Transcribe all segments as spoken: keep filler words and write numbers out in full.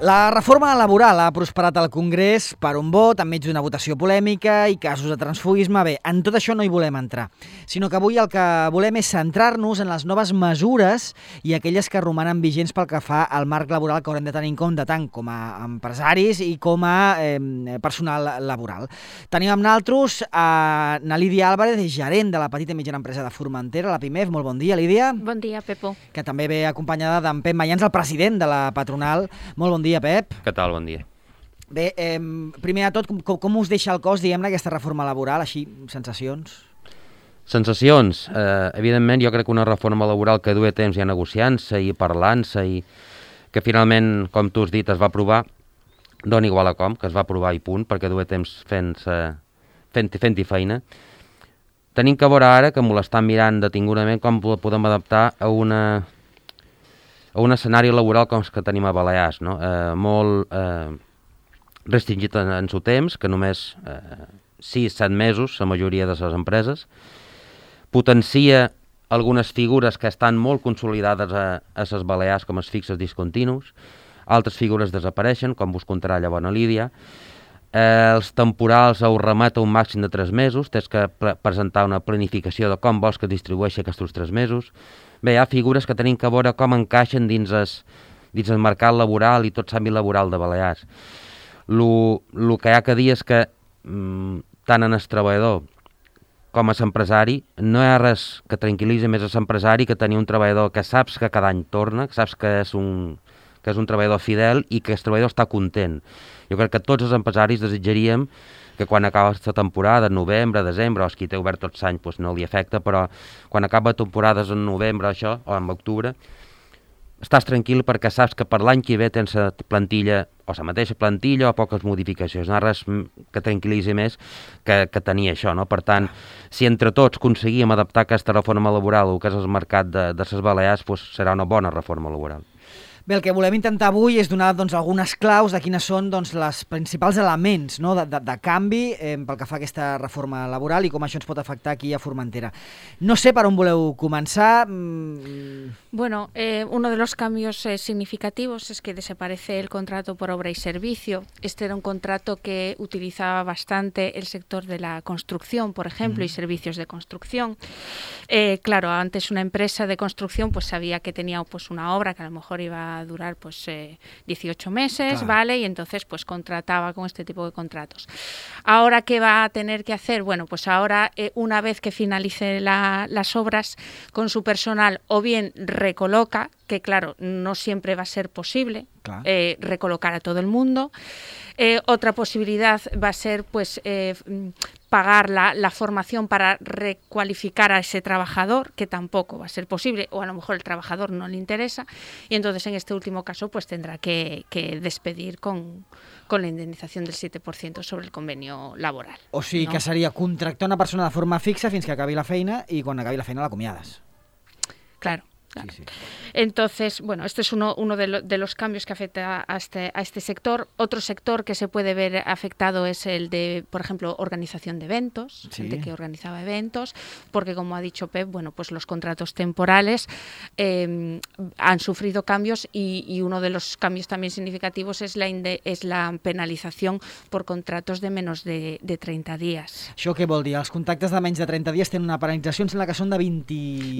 La reforma laboral ha prosperat al Congrés per un vot, enmig d'una votació polèmica i casos de transfugisme. Bé, en tot això no hi volem entrar, sinó que avui el que volem és centrar-nos en les noves mesures i aquelles que romanen vigents pel que fa al marc laboral que haurem de tenir en compte tant com a empresaris i com a eh, personal laboral. Tenim amb nosaltres a na Lídia Álvarez, gerent de la petita i mitjana empresa de Formentera, la PIMEF. Molt bon dia, Lídia. Bon dia, Pepo. Que també ve acompanyada d'en Pep Mayans, el president de la patronal. Molt bon dia. Bon dia, Pep. Què tal? Bon dia. Bé, eh, primer de tot, com, com us deixa el cos, diguem-ne, aquesta reforma laboral? Així, sensacions? Sensacions? Eh, evidentment, jo crec que una reforma laboral que duia temps ja negociant-se i parlant-se i que finalment, com tu has dit, es va aprovar, dona igual a com, que es va aprovar i punt, perquè duia temps fent-hi fent, fent feina. Tenim que veure ara, que m'ho l'estan mirant detingudament, com podem adaptar a una... a un escenari laboral com els que tenim a Balears, no? eh, molt eh, restringit en, en seu temps, que només eh, sis set mesos, la majoria de les empreses, potencia algunes figures que estan molt consolidades a, a les Balears, com els fixes discontinus, altres figures desapareixen, com vos contarà llavors a Lídia, eh, els temporals ho remet a un màxim de tres mesos, tens que pre presentar una planificació de com vols que distribueixi aquests tres mesos. Bé, hi ha figures que tenim que veure com encaixen dins el, dins el mercat laboral i tot l'àmbit laboral de Balears. El que hi ha que dir és que mm, tant en el treballador com a l'empresari no hi ha res que tranquil·litzi més a l'empresari que tenir un treballador que saps que cada any torna, que saps que és un, que és un treballador fidel i que el treballador està content. Jo crec que tots els empresaris desitjaríem que quan acaba aquesta temporada, en novembre, desembre, o els qui té obert tots l'any doncs no li afecta, però quan acaba temporades en novembre això, o en octubre, estàs tranquil perquè saps que per l'any que ve tens la plantilla, o la mateixa plantilla o poques modificacions. No hi ha res que tranquil·litzi més que, que tenir això, no? Per tant, si entre tots aconseguíem adaptar aquesta reforma laboral al que és el mercat de, de les Balears, doncs serà una bona reforma laboral. Bé, el que volem intentar avui és donar doncs, algunes claus de quines són doncs, les principals elements, no, de, de, de canvi eh, pel que fa a aquesta reforma laboral i com això ens pot afectar aquí a Formentera. No sé per on voleu començar. Mm... Bueno, eh, uno de los cambios eh, significativos es que desaparece el contrato por obra y servicio. Este era un contrato que utilizaba bastante el sector de la construcción, por ejemplo, mm. y servicios de construcción. Eh, claro, antes una empresa de construcción pues sabía que tenía pues, una obra que a lo mejor iba a durar pues eh, dieciocho meses, claro. ¿Vale? Y entonces pues contrataba con este tipo de contratos. Ahora, ¿qué va a tener que hacer? Bueno, pues ahora eh, una vez que finalice la, las obras con su personal o bien recoloca, que claro, no siempre va a ser posible, claro. eh, recolocar a todo el mundo. Eh, otra posibilidad va a ser pues eh, pagar la, la formación para recualificar a ese trabajador, que tampoco va a ser posible, o a lo mejor el trabajador no le interesa, y entonces en este último caso pues tendrá que, que despedir con, con la indemnización del siete por ciento sobre el convenio laboral. O sigui, ¿no? Que seria contractar una persona de forma fixa fins que acabi la feina i quan acabi la feina l'acomiades. Claro. Claro. Sí, sí. Entonces, bueno, este es uno, uno de, lo, de los cambios que afecta a este, a este sector. Otro sector que se puede ver afectado es el de, por ejemplo, organización de eventos, sí. Gente que organizaba eventos, porque como ha dicho Pep, bueno, pues los contratos temporales eh, han sufrido cambios y, y uno de los cambios también significativos es la, inde, es la penalización por contratos de menos de, de treinta días. Això què vol dir? Els contractes de menys de treinta dies tenen una penalització, em sembla que són de vint...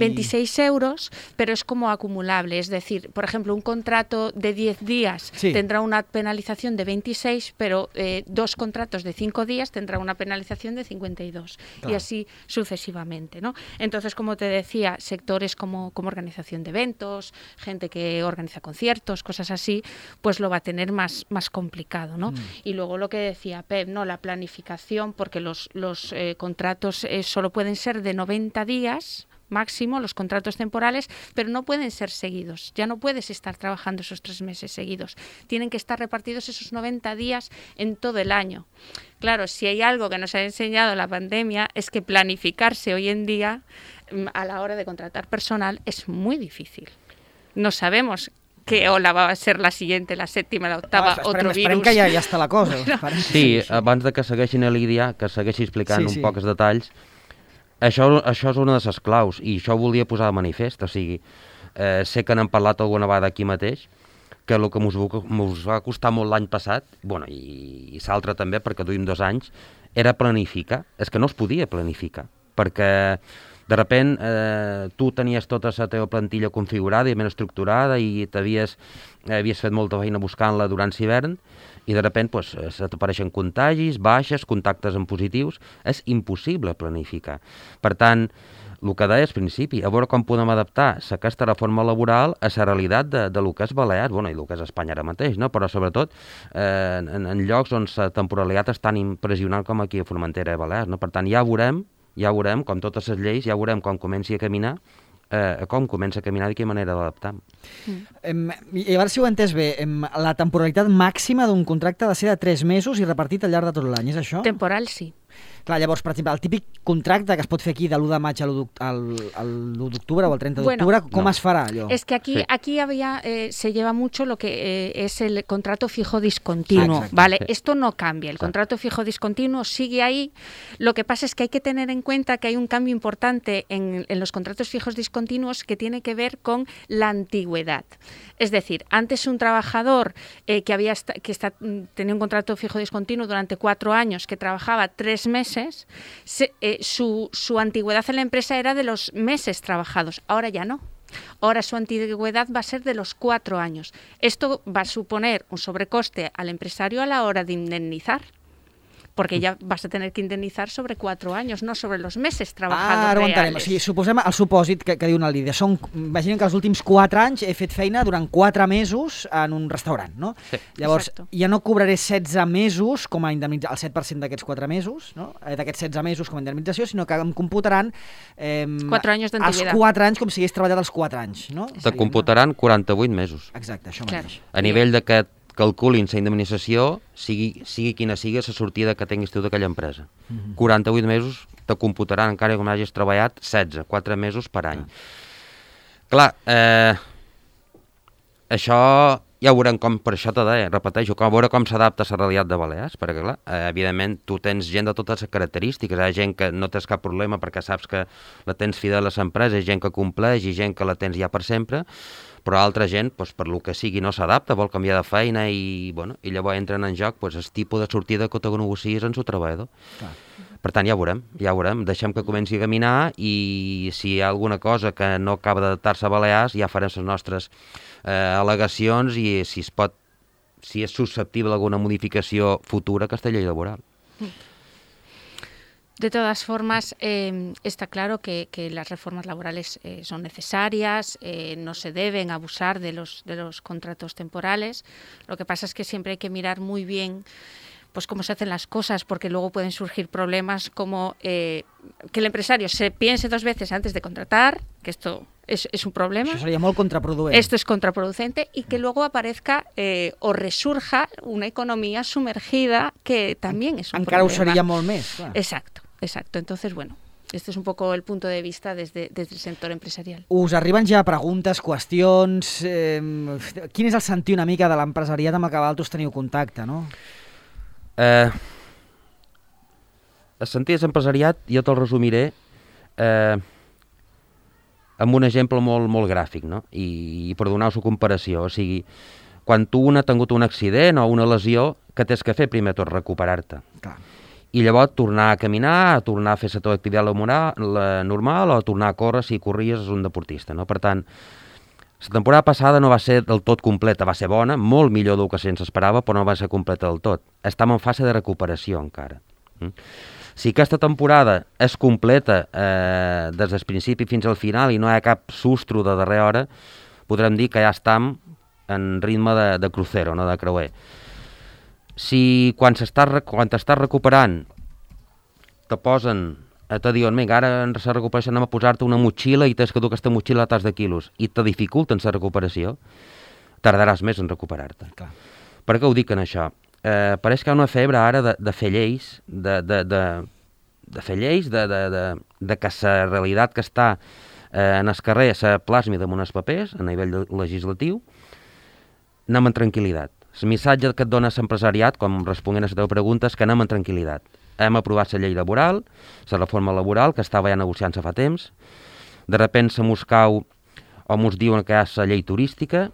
veintiséis euros, pero es como acumulable, es decir, por ejemplo, un contrato de diez días sí. tendrá una penalización de veintiséis, pero eh, dos contratos de cinco días tendrá una penalización de cincuenta y dos, claro. Y así sucesivamente, ¿no? Entonces, como te decía, sectores como, como organización de eventos, gente que organiza conciertos, cosas así, pues lo va a tener más, más complicado, ¿no? Mm. Y luego lo que decía Pep, ¿no? La planificación, porque los, los eh, contratos eh, solo pueden ser de noventa días, máximo, los contratos temporales, pero no pueden ser seguidos. Ya no puedes estar trabajando esos tres meses seguidos. Tienen que estar repartidos esos noventa días en todo el año. Claro, si hay algo que nos ha enseñado la pandemia es que planificarse hoy en día a la hora de contratar personal es muy difícil. No sabemos qué ola va a ser la siguiente, la sèptima, la octava, ah, otro virus. Esperem que ja, ja està la cosa. Bueno. Sí, abans de que segueixin a Lídia, que segueixi explicant sí, sí. un pocs detalls, Això, això és una de les claus, i això ho volia posar de manifest, o sigui, eh, sé que n'hem parlat alguna vegada aquí mateix, que el que ens va costar molt l'any passat, bueno, i, i l'altre també, perquè duim dos anys, era planificar. És que no es podia planificar, perquè de sobte eh, tu tenies tota la teva plantilla configurada i ben estructurada i t'havies havies fet molta feina buscant-la durant l'hivern i de sobte pues, se t'apareixen contagis, baixes, contactes en positius. És impossible planificar. Per tant, el que deia al principi, a veure com podem adaptar aquesta reforma laboral a la realitat de, de lo que és Balears, bueno, i el que és Espanya ara mateix, no? Però sobretot eh, en, en llocs on la temporalitat és tan impressionant com aquí a Formentera i Balears. No? Per tant, ja veurem, ja veurem, com totes les lleis, ja veurem com comenci a caminar, eh, com comença a caminar i de quina manera d'adaptar. Mm. I a veure si ho he entès bé, la temporalitat màxima d'un contracte ha de ser de tres mesos i repartit al llarg de tot l'any, és això? Temporal, sí. Clar, llavors, per exemple, el típic contracte que es pot fer aquí de l'u de maig a l'u d'octubre o el trenta d'octubre, bueno, ¿cómo no. es farà allò? Es que aquí, sí. aquí había, eh, se lleva mucho lo que eh, es el contrato fijo discontinuo, ah, ¿vale? Sí. Esto no cambia, el contrato fijo discontinuo sigue ahí. Lo que pasa es que hay que tener en cuenta que hay un cambio importante en, en los contratos fijos discontinuos que tiene que ver con la antigüedad. Es decir, antes un trabajador eh, que, había que está, tenía un contrato fijo discontinuo durante cuatro años, que trabajaba tres meses, se, eh, su, su antigüedad en la empresa era de los meses trabajados. Ahora ya no. Ahora su antigüedad va a ser de los cuatro años. Esto va a suponer un sobrecoste al empresario a la hora de indemnizar, perquè ja vas a tener que indemnitzar sobre quatre anys, no sobre els mesos treballadors ah, ara reales. O sigui, suposem el supòsit que, que diu una Lídia. Són, imaginem que els últims quatre anys he fet feina durant quatre mesos en un restaurant, no? Sí. Llavors, exacto. ja no cobraré setze mesos com a indemnització, el set per cent d'aquests quatre mesos, no? D'aquests setze mesos com a indemnització, sinó que em computaran eh, quatre anys els quatre anys com si hagués treballat els quatre anys, no? Te computaran quaranta-vuit mesos. Exacte, això Clar. mateix. A nivell de que calculin la indemnització, sigui, sigui quina sigui la sortida que tinguis tu d'aquella empresa. Mm-hmm. quaranta-vuit mesos te computaran encara com hagis treballat setze, quatre mesos per any. Ah. Clar, eh, això ja veurem com, per això te deia, repeteixo, com, veure com s'adapta a la realitat de Balears, perquè clar, eh, evidentment tu tens gent de totes les característiques, hi ha gent que no tens cap problema perquè saps que la tens fidel a l'empresa, hi ha gent que compleix i gent que la tens ja per sempre, però altra gent, doncs, per lo que sigui, no s'adapta, vol canviar de feina i, bueno, i llavors entren en joc doncs, el tipus de sortida que te negocies en el treballador. Clar. Per tant, ja veurem, ja veurem. Deixem que comenci a caminar i si hi ha alguna cosa que no acaba d'adaptar-se a Balears, ja farem les nostres eh, al·legacions i si es pot, si és susceptible alguna modificació futura a aquesta llei laboral. Mm. De todas formas, eh, está claro que, que las reformas laborales eh, son necesarias, eh, no se deben abusar de los, de los contratos temporales. Lo que pasa es que siempre hay que mirar muy bien pues cómo se hacen las cosas, porque luego pueden surgir problemas como eh, que el empresario se piense dos veces antes de contratar, que esto es, es un problema. Això seria molt contraproduent. Esto es contraproducente y que luego aparezca eh, o resurja una economía sumergida que también es un Encara problema. Encara ho seria molt més. Clar. Exacto, exacto. Entonces, bueno, este es un poco el punto de vista desde, desde el sector empresarial. Us arriben ja preguntes, qüestions... Eh, quin és el sentir una mica de l'empresariat amb el que vosaltres teniu contacte, no? Eh, el sentir empresariat jo te'l resumiré eh, amb un exemple molt, molt gràfic, no? I, i per donar-vos una comparació, o sigui, quan tu un ha tingut un accident o una lesió, què tens que fer primer tot? Recuperar-te. Clar. I llavors tornar a caminar, a tornar a fer la teva activitat laboral, la normal, o tornar a córrer si corries és un deportista, no? Per tant, la temporada passada no va ser del tot completa, va ser bona, molt millor del que se'ns esperava, però no va ser completa del tot. Estem en fase de recuperació encara. Mm? Si aquesta temporada és completa eh, des del principi fins al final i no hi ha cap sustro de darrera hora, podrem dir que ja estem en ritme de, de crucero, no de creuer. Si quan t'estàs recuperant te posen te diuen, vinga, ara en la recuperació anem a posar-te una motxilla i tens que dur aquesta motxilla a tas de quilos i te dificulten la recuperació, tardaràs més en recuperar-te. Clar. Per què ho dic en això? Eh, pareix que hi ha una febre ara de, de fer lleis, de, de, de, de fer lleis, de, de, de, de que la realitat que està eh, en el carrer se plasmi damunt els papers, a nivell legislatiu, anem en tranquil·litat. El missatge que et dona l'empresariat, com responent a la teva pregunta, és que anem en tranquil·litat. Hem aprovat la llei laboral, la reforma laboral, que estava ja negociant-se fa temps. De sobte se mos cau o mos diuen que hi ha la llei turística.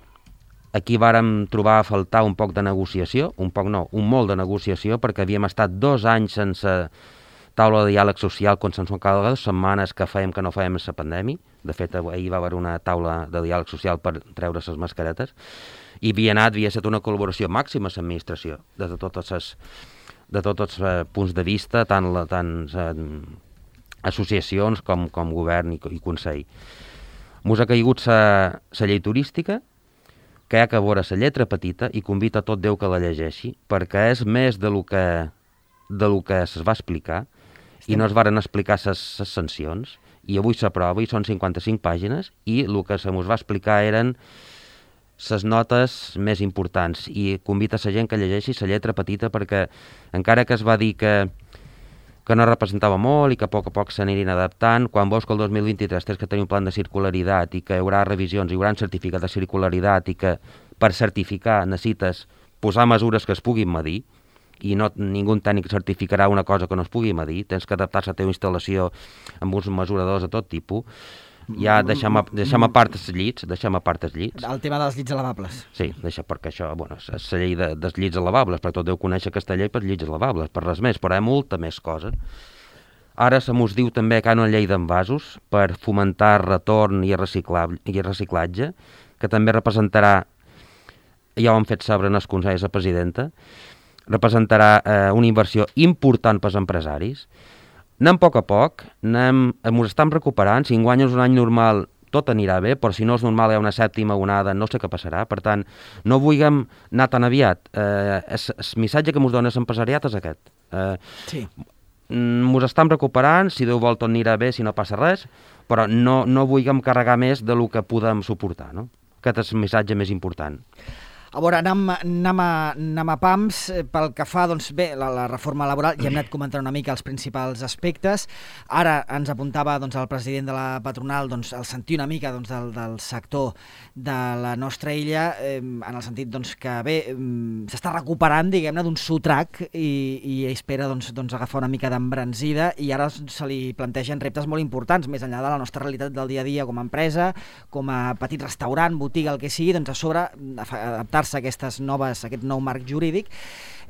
aquí vàrem trobar a faltar un poc de negociació, un poc no, un molt de negociació, perquè havíem estat dos anys sense taula de diàleg social consensual cada dues setmanes que fèiem que no fèiem la pandèmia. De fet, ahir va haver una taula de diàleg social per treure les mascaretes i havia anat, havia estat una col·laboració màxima a l'administració, de totes les, de tots els eh, punts de vista, tant, la, tant eh, associacions com, com govern i, i consell. Mos ha caigut la llei turística, que hi ha que veure la lletra petita i convita tot Déu que la llegeixi, perquè és més de lo que, de lo que es va explicar i no es varen explicar les sancions, i avui s'aprova i són cinquanta-cinc pàgines i el que se mos va explicar eren les notes més importants i convita la gent que llegeixi la lletra petita perquè encara que es va dir que que no representava molt i que a poc a poc s'anirien adaptant, quan veus que el dos mil vint-i-tres tens que tenir un plan de circularitat i que hi haurà revisions, hi haurà un certificat de circularitat i que per certificar necessites posar mesures que es puguin medir i no, ningú tècnic certificarà una cosa que no es pugui medir, tens que adaptar-se a la teva instal·lació amb uns mesuradors de tot tipus. Ja deixem a, deixem a part els llits, deixem a part els llits. El tema dels llits lavables. Sí, deixa, perquè això, bueno, és la llei de, dels llits lavables, perquè tot deu conèixer aquesta llei per llits lavables, per res més, però hi ha molta més cosa. Ara se mos diu també que hi ha una llei d'envasos per fomentar retorn i, i reciclatge, que també representarà, ja ho han fet saber en els consells de presidenta, representarà eh, una inversió important pels empresaris. Anem a poc a poc, anem, ens estem recuperant, si enguany és un any normal tot anirà bé, però si no és normal hi ha una sèptima onada, no sé què passarà, per tant, no vulguem anar tan aviat. Eh, el, el missatge que ens dona l'empresariat és aquest. Eh, sí. Ens estem recuperant, si Déu vol tot anirà bé, si no passa res, però no, no vulguem carregar més del que podem suportar, no? Aquest és el missatge més important. A veure, anem, anem, a, anem a pams. Pel que fa, doncs bé, la, la reforma laboral, ja hem anat comentant una mica els principals aspectes. Ara ens apuntava doncs, el president de la patronal doncs, el sentir una mica doncs, del, del sector de la nostra illa, eh, en el sentit doncs, que bé, s'està recuperant, diguem-ne, d'un sotrac i, i espera doncs, doncs, agafar una mica d'embranzida i ara se li plantegen reptes molt importants, més enllà de la nostra realitat del dia a dia com a empresa, com a petit restaurant, botiga, el que sigui, doncs a sobre adaptar a aquestes noves, aquest nou marc jurídic.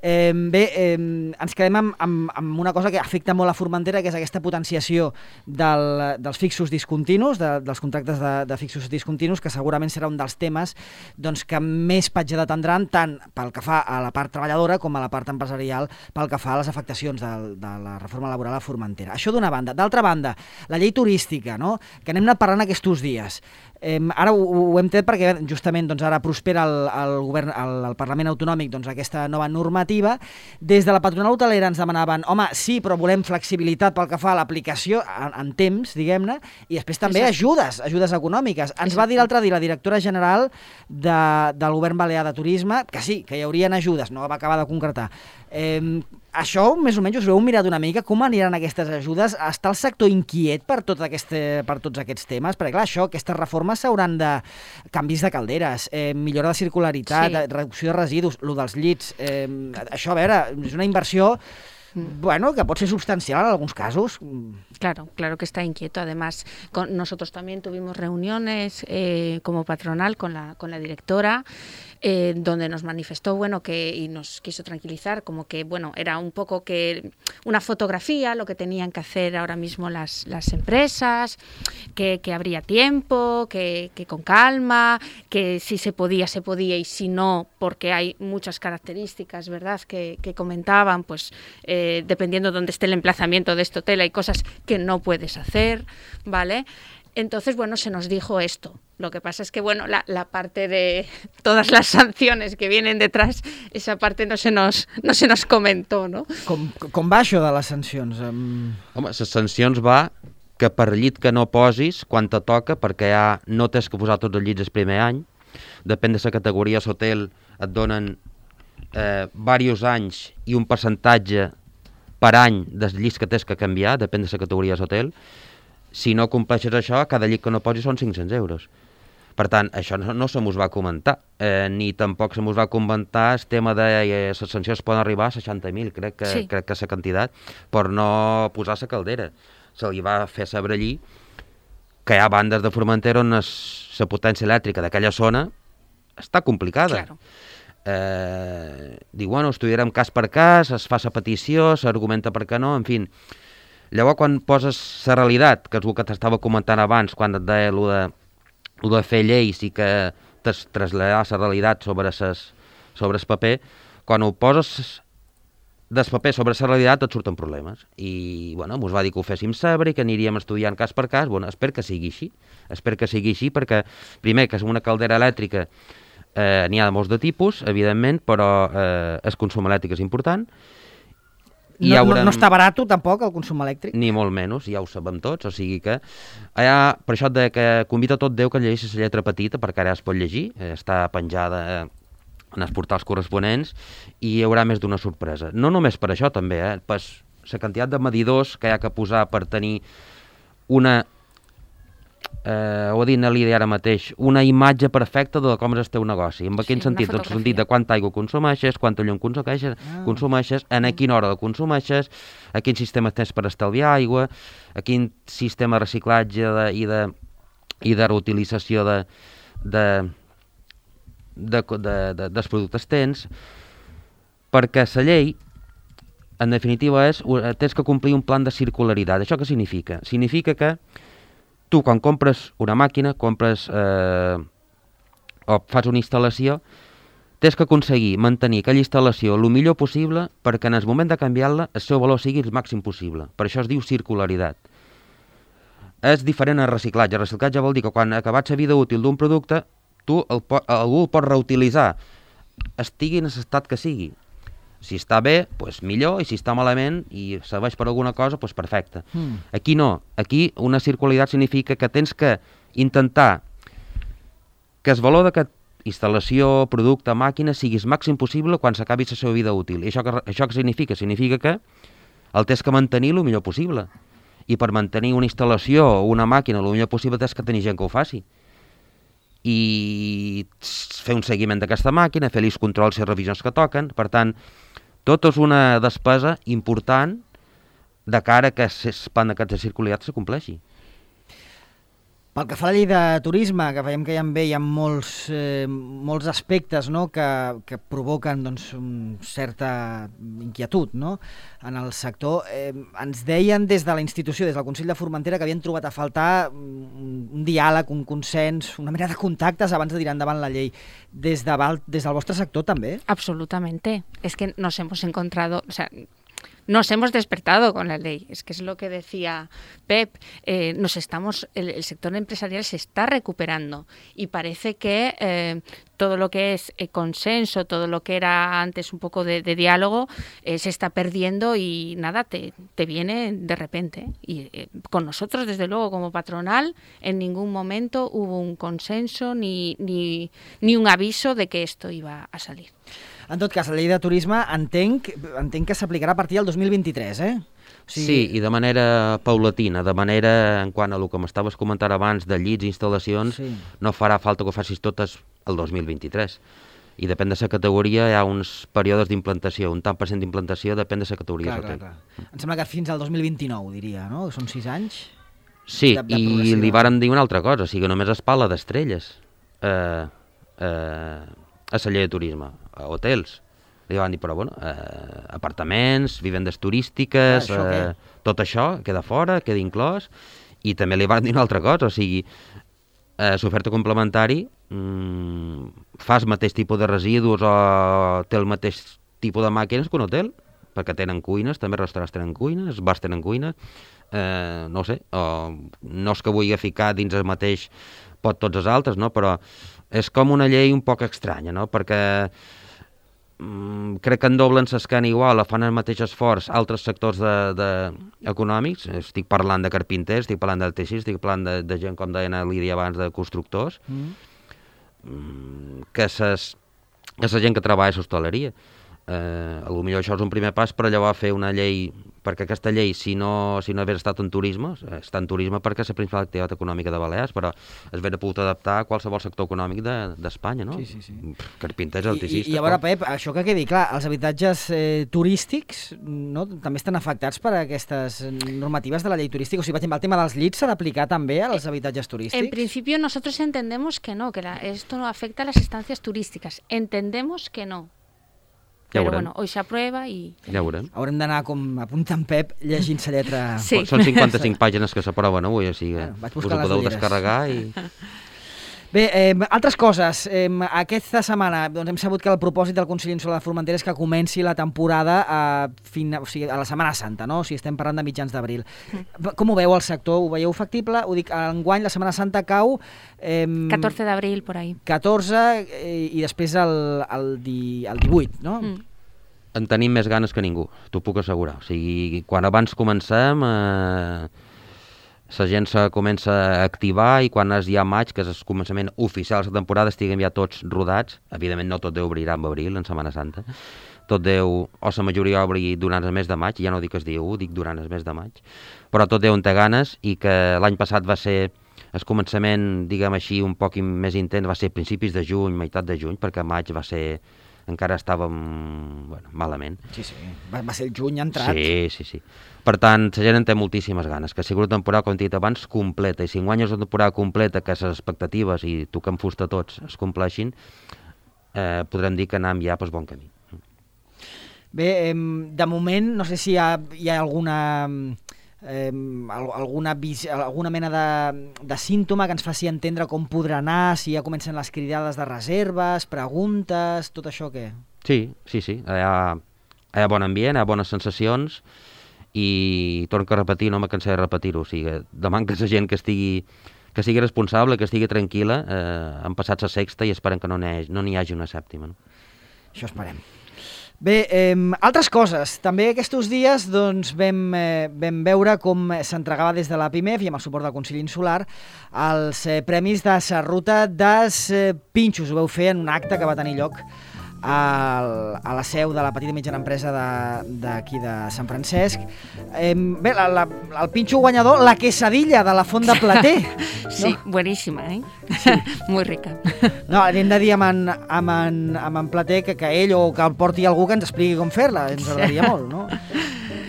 Eh, bé, eh, ens quedem amb, amb, amb una cosa que afecta molt a Formentera, que és aquesta potenciació del, dels fixos discontinus, de, dels contractes de, de fixos discontinus, que segurament serà un dels temes doncs, que més patge detendran, tant pel que fa a la part treballadora com a la part empresarial, pel que fa a les afectacions de, de la reforma laboral a Formentera. Això d'una banda. D'altra banda, la llei turística, no? Que anem anat parlant aquests dies. Eh, ara ho, ho hem tret perquè justament doncs, ara prospera el, el, govern, el, el Parlament Autonòmic doncs, aquesta nova normativa. Des de la patronal hotelera ens demanaven home, sí, però volem flexibilitat pel que fa a l'aplicació en, en temps, diguem-ne, i després també Exacte. ajudes, ajudes econòmiques. Ens Exacte. va dir l'altre dia la directora general de, del govern balear de turisme que sí, que hi haurien ajudes, no va acabar de concretar. Eh, Això, més o menys, us veu mirat una mica com aniran aquestes ajudes? Està el sector inquiet per, tot aquest, per tots aquests temes? Perquè, clar, això, aquestes reformes s'hauran de... canvis de calderes, eh, millora de circularitat, sí. reducció de residus, lo dels llits... Eh, això, a veure, és una inversió... Bueno, que pot ser substancial en algunos casos. Claro, claro que está inquieto. Además, con, nosotros también tuvimos reuniones eh, como patronal con la, con la directora, eh, donde nos manifestó, bueno, que y nos quiso tranquilizar, como que, bueno, era un poco que una fotografía, lo que tenían que hacer ahora mismo las, las empresas, que, que habría tiempo, que, que con calma, que si se podía, se podía, y si no, porque hay muchas características, ¿verdad?, que, que comentaban, pues... Eh, Eh, dependiendo de dónde esté el emplazamiento de este hotel, hay cosas que no puedes hacer, ¿vale? Entonces, bueno, se nos dijo esto. Lo que pasa es que, bueno, la, la parte de todas las sanciones que vienen detrás, esa parte no se nos, no se nos comentó, no? Com, com va això de les sancions? Um... Home, les sancions va que per llit que no posis, quan te toca, perquè ja no tens que posar tots els llits el primer any, depèn de la categoria d'hotel, et donen eh, diversos anys i un percentatge per any dels llits que tens que canviar, depèn de la categoria d'hotel. Si no compleixes això, cada llit que no posis són cinc-cents euros. Per tant, això no, no se mos va comentar, eh, ni tampoc se mos va comentar el tema de eh, les sancions poden arribar a seixanta mil, crec que, sí. crec que és la quantitat, per no posar la caldera. Se li va fer saber allí que hi ha bandes de Formentera on la potència elèctrica d'aquella zona està complicada. Claro. Eh, diu, bueno, estudiarem cas per cas, es fa la petició, s'argumenta per què no, en fi. Llavors, quan poses la realitat, que és el que t'estava comentant abans, quan et deia el de, el de fer lleis i que t'has traslladat la realitat sobre, ses, sobre el paper, quan ho poses del paper sobre la realitat et surten problemes. I, bueno, mos va dir que ho féssim saber i que aniríem estudiant cas per cas. Bueno, espero que sigui així. Espero que sigui així perquè, primer, que és una caldera elèctrica, eh, n'hi ha de molts de tipus, evidentment, però eh, el consum elèctric és important. I no, haurem... no, no està barat tampoc el consum elèctric? Ni molt menys, ja ho sabem tots, o sigui que allà, per això et deia que convida tot Déu que llegeixis la lletra petita, perquè ara es pot llegir, eh, està penjada eh, en els portals corresponents, i hi haurà més d'una sorpresa. No només per això també, eh, per la quantitat de medidors que hi ha que posar per tenir una, eh, ho ha dit Nelly ara mateix, una imatge perfecta de com és el teu negoci. En quin Sí, sentit? una Doncs el sentit de quanta aigua consumeixes, quanta llum consumeixes, Ah. consumeixes, en a quina hora la consumeixes, a quin sistema tens per estalviar aigua, a quin sistema de reciclatge de, i, de, i de reutilització de, de, de, de, de, dels productes tens, perquè la llei, en definitiva, és, tens que complir un plan de circularitat. Això què significa? Significa que tu, quan compres una màquina, compres eh, o fas una instal·lació, tens que aconseguir mantenir aquella instal·lació el millor possible perquè en el moment de canviar-la el seu valor sigui el màxim possible. Per això es diu circularitat. És diferent al reciclatge. El reciclatge vol dir que quan acabats la vida útil d'un producte, tu el po algú el pot reutilitzar, estigui en l'estat que sigui. Si està bé, doncs millor, i si està malament i serveix per alguna cosa, doncs perfecte. Mm. Aquí no. Aquí una circularitat significa que tens que intentar que el valor d'aquest instal·lació, producte, màquina, sigui el màxim possible quan s'acabi la seva vida útil. I això que, això que significa? Significa que el tens que mantenir el millor possible. I per mantenir una instal·lació o una màquina el millor possible tens que tenir gent que ho faci. I fer un seguiment d'aquesta màquina, fer els controls i revisions que toquen. Per tant, tot és una despesa important de cara que el plan d'aquests de circularitat se compleixi. Pel que fa a la llei de turisme, que veiem que hi ha, bé, hi ha molts, eh, molts aspectes, no?, que, que provoquen doncs, un certa inquietud, no?, en el sector. Eh, ens deien des de la institució, des del Consell de Formentera, que havien trobat a faltar un, un diàleg, un consens, una mena de contactes abans de tirar endavant la llei. Des, de, des del vostre sector també? Absolutamente. Es que nos hemos encontrado... O sea, nos hemos despertado con la ley, es que es lo que decía Pep, eh, nos estamos, el, el sector empresarial se está recuperando y parece que eh, todo lo que es eh, consenso, todo lo que era antes un poco de, de diálogo, eh, se está perdiendo y nada, te, te viene de repente. Y eh, con nosotros, desde luego, como patronal, en ningún momento hubo un consenso ni, ni, ni un aviso de que esto iba a salir. En tot cas, la llei de turisme entenc, entenc que s'aplicarà a partir del dos mil vint-i-tres, eh? O sigui... Sí, i de manera paulatina, de manera, en quant a el que m'estaves comentant abans de llits i instal·lacions, sí. No farà falta que ho facis totes el dos mil vint-i-tres. I depèn de la categoria, hi ha uns períodes d'implantació, un tant per cent d'implantació depèn de la categoria. Clar, clar, clar. Em sembla que fins al dos mil vint-i-nou, diria, no? Són sis anys? Sí, de, de i li vàrem dir una altra cosa, o sigui, només es parla d'estrelles eh, eh, a la llei de turisme, a hotels. Li van dir, però bueno, eh, apartaments, vivendes turístiques, ah, això eh, tot això queda fora, queda inclòs, i també li van dir una altra cosa, o sigui, eh, l'oferta complementari mmm, fa el mateix tipus de residus o té el mateix tipus de màquines que un hotel, perquè tenen cuines, també restaurants tenen cuines, els bars tenen cuines, eh, no sé, o, no és que vulgui ficar dins el mateix pot tots els altres, no? Però és com una llei un poc estranya, no? Perquè mm, crec que en doblen l'escana igual, fan el mateix esforç altres sectors de, de, econòmics, estic parlant de carpinters, estic parlant del teixit, estic parlant de, de gent, com deien a Lídia abans, de constructors, mm. Mm, que, ses, que la gent que treballa a l'hostaleria. eh, potser això és un primer pas, però llavors fer una llei, perquè aquesta llei, si no, si no hagués estat en turisme, està en turisme perquè és la principal activitat econòmica de Balears, però es hauria pogut adaptar a qualsevol sector econòmic d'Espanya, de, no? Sí, sí, sí. Carpinter és alticista. I, i a veure, Pep, això que quedi clar, els habitatges eh, turístics no, també estan afectats per aquestes normatives de la llei turística. O sigui, per exemple, el tema dels llits s'ha d'aplicar també als habitatges turístics? En principio nosotros entendemos que no, que la, esto no afecta a las estancias turísticas. Entendemos que no. Ja Però bueno, hoy se aprueba i... Ja veurem. Haurem d'anar com apuntant Pep, llegint-se lletra... Sí. Són cinquanta-cinc pàgines que s'aproven avui, o sigui, bueno, vaig us buscar ho les podeu ulleres. descarregar i... Bé, eh, altres coses. Eh, aquesta setmana doncs, hem sabut que el propòsit del Consell Insular de Formentera és que comenci la temporada a, fin, o sigui, a la Setmana Santa, no? O sigui, estem parlant de mitjans d'abril. Mm. Com ho veu el sector? Ho veieu factible? Ho dic, enguany la Setmana Santa cau... Eh, catorze d'abril, por ahí. catorze eh, i després el, el, di, el divuit, no? Mm. En tenim més ganes que ningú, t'ho puc assegurar. O sigui, quan abans comencem, eh, la gent se comença a activar i quan és ja maig, que és el començament oficial de la temporada, estiguem ja tots rodats. Evidentment no tot Déu obrirà en abril, en Setmana Santa. Tot Déu, o la majoria obri durant el mes de maig, ja no dic es diu, dic durant el mes de maig. Però tot Déu en té ganes i que l'any passat va ser el començament, diguem així, un poc més intens, va ser principis de juny, meitat de juny, perquè maig va ser... encara estàvem bueno, malament. Sí, sí, va, va ser el juny entrat. Sí, sí, sí. Per tant, la gent en té moltíssimes ganes, que sigui una temporada, com he dit abans, completa. I si enguany és una temporada completa, que les expectatives, i toquem fusta tots, es compleixin, eh, podrem dir que anem ja pel bon camí. Bé, eh, de moment, no sé si hi ha, hi ha alguna... Eh, alguna, vis, alguna mena de, de símptoma que ens faci entendre com podrà anar, si ja comencen les cridades de reserves, preguntes, tot això què? Sí, sí, sí. Hi ha, hi ha bon ambient, hi ha bones sensacions i torno a repetir, no me cansaré de repetir-ho. O sigui, demano que la gent que estigui, que sigui responsable, que estigui tranquil·la, eh, han passat la sexta i esperen que no n'hi no hagi una sèptima. No? Això esperem. Bé, eh, altres coses. També aquests dies doncs, vam, eh, vam veure com s'entregava des de la PIMEF i amb el suport del Consell Insular els eh, premis de la ruta dels eh, pinxos. Ho vau fer en un acte que va tenir lloc a, a la seu de la petita i mitjana empresa d'aquí de, de Sant Francesc. Eh, bé, la, la, el pinxo guanyador, la quesadilla de la Font de Plater. Sí, no? bueníssima, eh? Sí. Muy rica. No, hem de dir amb en, amb en, amb en Plater que, que ell o que el porti algú que ens expliqui com fer-la, ens agradaria molt, no?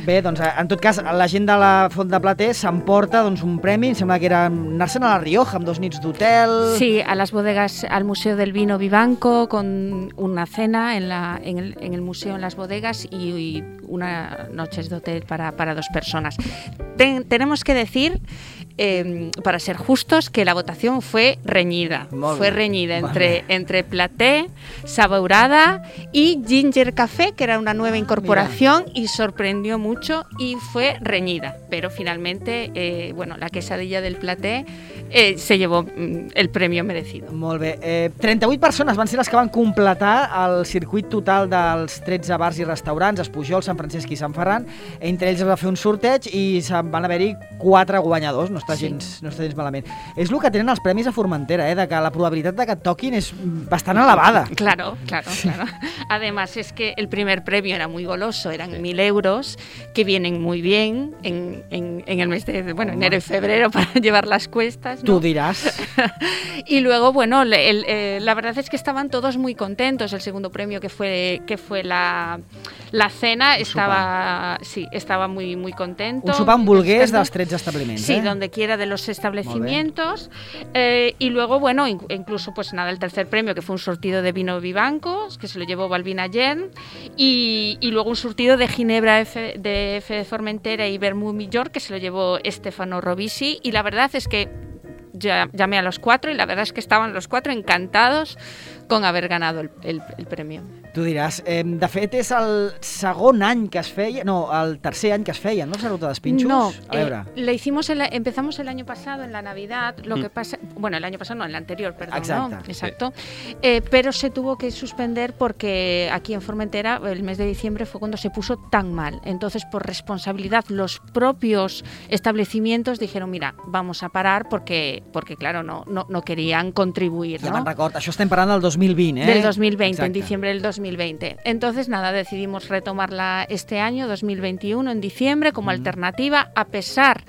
Bé, doncs, en tot cas, la gent de la Font de Plater s'emporta doncs, un premi, em sembla que era anar-se'n a La Rioja amb dos nits d'hotel... Sí, a las bodegas, al Museo del Vino Vivanco, con una cena en, la, en, el, en el museo, en las bodegas, y, y unas noches de hotel para, para dos personas. Ten, tenemos que decir, eh, para ser justos, que la votación fue reñida. Molt fue bé. reñida Molt entre, bé. entre Plater, Sabourada y Ginger Café, que era una nueva incorporación, y sorprendió mucho y fue reñida, pero finalmente eh, bueno, la quesadilla del Plater eh, se llevó mm, el premio merecido. Molt bé. Eh, trenta-vuit persones van ser les que van completar el circuit total dels tretze bars i restaurants, Espujol, Sant Francesc i Sant Ferran. Entre ells es va fer un sorteig i se'n van haver-hi quatre guanyadors. No està, Sí. gens, no està gens malament. És el que tenen els premis a Formentera, eh, de que la probabilitat de que et toquin és bastant elevada. Claro, claro, claro. Además es que el primer premio era muy goloso, eran sí. mil euros, que vienen muy bien en, en, en el mes de bueno, enero y febrero para llevar las cuestas, ¿no? Tú dirás. Y luego, bueno, el, el, eh, la verdad es que estaban todos muy contentos. El segundo premio, que fue que fue la, la cena, un estaba sopar. sí, estaba muy muy contento. Un sopar hamburgués dels tretze establiments, Sí, eh? donde quiera de los establecimientos. Eh, y luego, bueno, in, incluso pues nada, el tercer premio, que fue un surtido de vino Vivancos, que se lo llevó Balbina Yen, y, y luego un surtido de Ginebra F, de F de Formentera y Vermut Millor, que se lo llevó Stefano Robisi, y la verdad es que ya, llamé a los cuatro y la verdad es que estaban los cuatro encantados con haber ganado el, el, el premio. Tu diràs, eh, de fet és el segon any que es feia, no, el tercer any que es feia, ¿no? Esa ruta dels pinxos. No, a veure. Eh, le hicimos el, empezamos el año pasado en la Navidad, lo mm. que pasa, bueno, el año pasado no, el anterior, perdón, Exacto. ¿no? Exacto. Sí. Eh, pero se tuvo que suspender porque aquí en Formentera el mes de diciembre fue cuando se puso tan mal. Entonces, por responsabilidad, los propios establecimientos dijeron, mira, vamos a parar porque, porque claro, no, no, no querían contribuir, Ja no? me'n record, això estem parlant del dos mil vint, ¿eh? Del dos mil veinte, Exacte. en diciembre del dos mil veinte. Entonces, nada, decidimos retomarla este año, dos mil veintiuno, en diciembre, como mm. alternativa, a pesar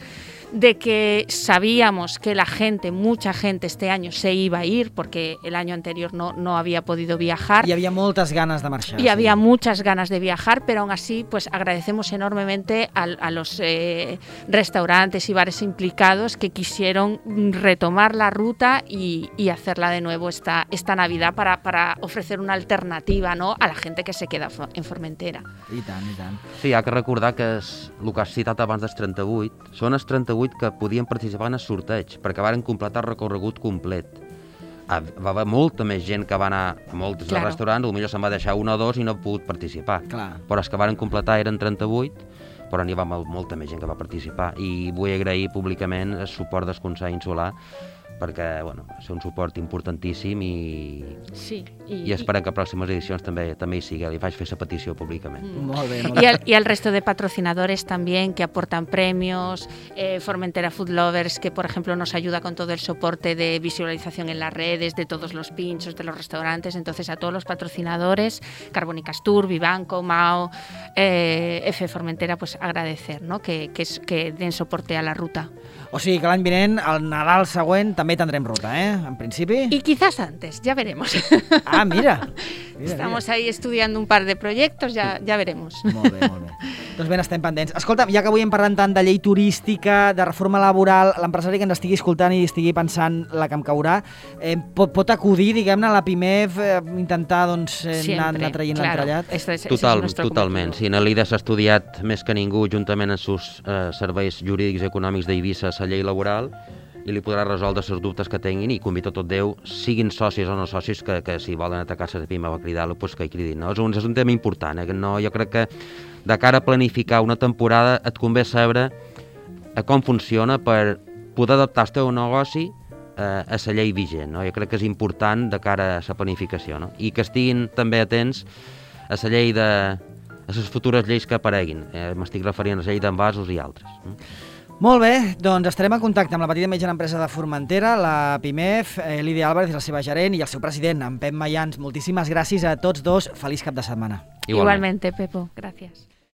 de que sabíamos que la gente, mucha gente este año se iba a ir, porque el año anterior no, no había podido viajar. Y había muchas ganas de marchar. Y sí. había muchas ganas de viajar, pero aún así pues agradecemos enormemente a, a los eh, restaurantes y bares implicados que quisieron retomar la ruta y, y hacerla de nuevo esta, esta Navidad para, para ofrecer una alternativa, ¿no?, a la gente que se queda en Formentera. I tant, i tant. Sí, hi ha que recordar que és, el que has citat abans dels trenta-vuit, són els trenta-vuit que podien participar en el sorteig, perquè varen completar el recorregut complet. Va haver molta més gent que va anar a molts claro. restaurants, potser se'n va deixar un o dos i no ha pogut participar. Clar. Però els que varen completar eren trenta-vuit, però n'hi va molta més gent que va participar. I vull agrair públicament el suport del Consell Insular, perquè bueno, és un suport importantíssim i, sí, i, i esperem que a pròximes edicions també també hi sigui. Li faig fer la petició públicament. Mm. Molt bé, molt bé. Y, al, y al resto de patrocinadores también que aportan premios, eh, Formentera Food Lovers, que por ejemplo nos ayuda con todo el soporte de visualización en las redes, de todos los pinchos, de los restaurantes. Entonces a todos los patrocinadores, Carbónicas Tour, Vivanco, Mao, eh, F Formentera, pues agradecer, ¿no?, que, que, es, que den soporte a la ruta. O sigui que l'any vinent, el Nadal següent, també tendrem ruta, eh? En principi. Y quizás antes, ya veremos. Ah, mira. mira Estamos mira. ahí estudiando un par de proyectos, ya, ya veremos. Molt bé, molt bé. Doncs ben, estem pendents. Escolta, ja que avui hem parlat tant de llei turística, de reforma laboral, l'empresari que ens estigui escoltant i estigui pensant la que em caurà, eh, pot, pot acudir, diguem-ne, a la Pimef, eh, intentar doncs, eh, anar, anar traient claro. l'entrellat? Este es, Total, es totalment. Si Nelly s'ha estudiat més que ningú, juntament amb els seus eh, serveis jurídics i econòmics d'Eivissa, la llei laboral, i li podrà resoldre els dubtes que tinguin, i convito a tot Déu, siguin socis o no socis, que, que si volen atacar la Pimef a cridar-lo, pues que hi cridin. No? És, un, és un tema important, eh? que no, jo crec que de cara a planificar una temporada et convé saber a com funciona per poder adaptar el teu negoci eh, a la llei vigent. No? Jo crec que és important de cara a la planificació, no? I que estiguin també atents a la llei de... a les futures lleis que apareguin. Eh, M'estic referint a la llei d'envasos i altres. No? Molt bé, doncs estarem en contacte amb la petita i mitjana empresa de Formentera, la Pimef, eh, Lídia Álvarez, la seva gerent, i el seu president, en Pep Mayans. Moltíssimes gràcies a tots dos. Feliç cap de setmana. Igualment. Igualmente, Pepo. Gracias.